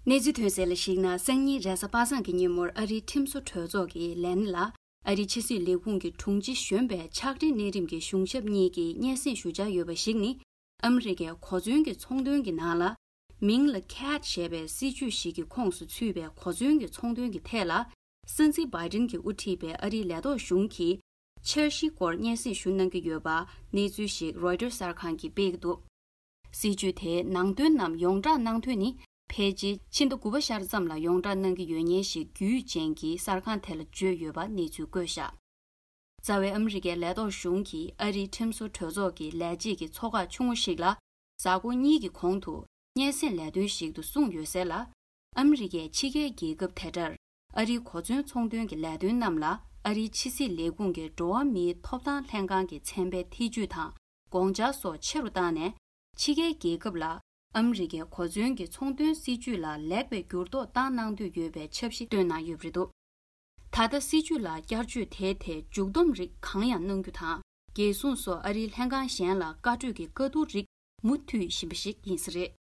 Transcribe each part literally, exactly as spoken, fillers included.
གནས་ཚུལ་ཐོན་གསལ་ལ་གཞིགས་ན། སང་ཉིན་རེས་གཟའ་པ་སངས་ཀྱི་ཉིན་མོར་ཨ་རིའི་ཁྲིམས་བཟོ་གྲོས་ཚོགས་ཀྱི་ལས་སྣེ་ལ་ཨ་རིའི་ཕྱི་སྲིད་ལས་ཁུངས་ཀྱི་དྲུང་ཆེ་གཞོན་པའི་ཕྱག་སྦྲེལ་གནས་རིམ་གྱི་གཞུང་ཞབས་གཉིས་ཀྱིས་སྙན་སེང་ཞུ་འཆར་ཡོད་པ་ཞིག་ནི། ཨ་མི་རི་ཀའི་གོ་མཚོན་གྱི་ཚོང་དོན་གྱི་ནང་ལ། མིང་ལ་ཁེ་ཊི་ཞེས་པའི་སྲིད་ཇུས་ཤིག་གི་ཁོངས་སུ་ཚུད་པའི་གོ་མཚོན་གྱི་ཚོང་དོན་གྱི་ཐད་ལ། སྲིད་འཛིན་བྷའི་ཌེན་གྱིས་དབུ་ཁྲིད་པའི་ཨ་རིའི་ལས་ཐོག་གཞུང་གིས། འཆར་གཞིའི་སྐོར་སྙན་སེང་ཞུ་གནང་གི་ཡོད་པ་གནས་ཚུལ་ཞིག་རོའི་ཊར་གསར་ཁང་གིས་སྤེལ་གྱི་འདུག། སྲིད་ཇུས་དེའི་ནང་དོན་རྣམས་ཡོངས་བསྒྲགས་གནང་དོན་ནི། ཕལ་ཆེར་ཕྱི་ཟླ་དགུ་པ་ཤར་ཙམ་ལ་ཡོངས་བསྒྲགས་གནང་གི་ཡོད་ཉེན་ཞིག་རྒྱུས་ཅན་གྱི་གསར་ཁང་དེ་ལ་བརྗོད་ཡོད་པ་གནས་ཚུལ་བཀོད་བཞག། རྩ་བའི་ཨ་མི་རི་ཀའི་ལས་ཐོག་གཞུང་གིས་ཨ་རིའི་ཁྲིམས་བཟོ་གྲོས་ཚོགས་ཀྱི་ལས་བྱེད་ཀྱི་ཚོགས་ཁག་ཆུང་ངུ་ཞིག་ལ། གཟའ་འཁོར་གཉིས་ཀྱི་གོང་དུ། སྙན་སེང་ལས་དོན་ཞིག་ཏུ་གསུངས་ཡོད་གསལ་ལ། ཨ་མི་རི་ཀས་ཕྱི་རྒྱལ་རྒྱལ་ཁབ་དེ་འདྲར། ཨ་རིའི་གོ་མཚོན་ཚོང་དོན་གྱི་ལས་དོན་རྣམས་ལ། ཨ་རིའི་ཕྱི་སྲིད་ལས་ཁུངས་ཀྱི་འགྲོ་བ་མིའི་ཐོབ་ཐང་ལྷན་ཁང་གི་ཚན་པའི་ཐེ་ཇུས་དང་། དགོངས་འཆར་སོགས་ཆེ་རུ་བཏང་ནས། ཕྱི་རྒྱལ་རྒྱལ་ཁབ་ལ། ཨ་མི་རི་ཀའི་གོ་མཚོན་གྱི་ཚོང་དོན་སྲིད་ཇུས་ལ་ལེགས་པའི་འགྱུར་ལྡོག་བཏང་གནང་འདོད་ཡོད་པའི་འཆར་གཞི་བཏོན་གནང་ཡོད་པ་རེད་འདུག། ད་ལྟ་སྲིད་ཇུས་ལ་བསྐྱར་བཅོས་དེའི་ཐད་མཇུག་བསྡོམས་རིགས་གང་ཡང་གནང་རྒྱུ་དང་། རྒྱལ་སྲུང་སོགས་ཨ་རིའི་ལྷན་ཁང་གཞན་ལ་བཀའ་གྲོས་ཀྱི་བཀའ་བསྡུར་རིགས་མུ་མཐུད་བཞིན་པ་ཞིག་ཡིན་ས་རེད།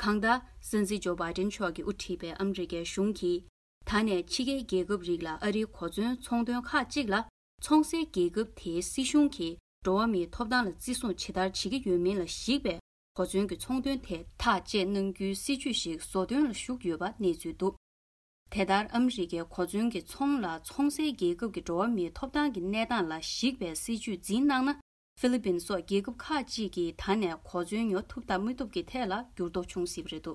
གང་ལྟར། སྲིད་འཛིན་ཇོ་བྷའི་ཌེན་མཆོག་གིས་དབུ་ཁྲིད་པའི་ཨ་མི་རི་ཀའི་གཞུང་གིས། ད་ནས་ཕྱི་རྒྱལ་རྒྱལ་ཁབ་རིགས་ལ་ཨ་རིའི་གོ་མཚོན་ཚོང་དོན་ཁག་ཅིག་ལ། ཚོང་སའི་རྒྱལ་ཁབ་དེའི་སྲིད་གཞུང་གིས་འགྲོ་བ་མིའི་ཐོབ་ཐང་ལ་བརྩི་སྲུང་ཇི་ལྟར་བྱེད་ཀྱི་ཡོད་མིན་ལ་གཞིགས་པའི་གོ་མཚོན་གྱི་ཚོང་དོན་ཐད་ཐག་བཅད་གནང་རྒྱུའི་སྲིད་ཇུས་ཤིག་བཟོ་འདོན་ལ་ཞུགས་ཡོད་པ་གནས་ཚུལ་འདུག། དེ་ལྟར། ཨ་མི་རི་ཀའི་གོ་མཚོན་གྱི་ཚོང་ལ་ཚོང་སའི་རྒྱལ་ཁབ་ཀྱི་འགྲོ་བ་མིའི་ཐོབ་ཐང་གི་གནས་སྟངས་ལ་གཞིགས་པའི་སྲིད་ཇུས་འཛིན་གནང་ན། ཧྥི་ལི་པིན་སོགས་རྒྱལ་ཁབ་ཁག་ཅིག་གིས་ད་ནས་གོ་མཚོན་ཉོ་ཐུབ་དང་མི་ཐུབ་ཀྱི་ཐད་ལ་འགྱུར་ལྡོག་འབྱུང་སྲིད་པ་རེད་འདུག།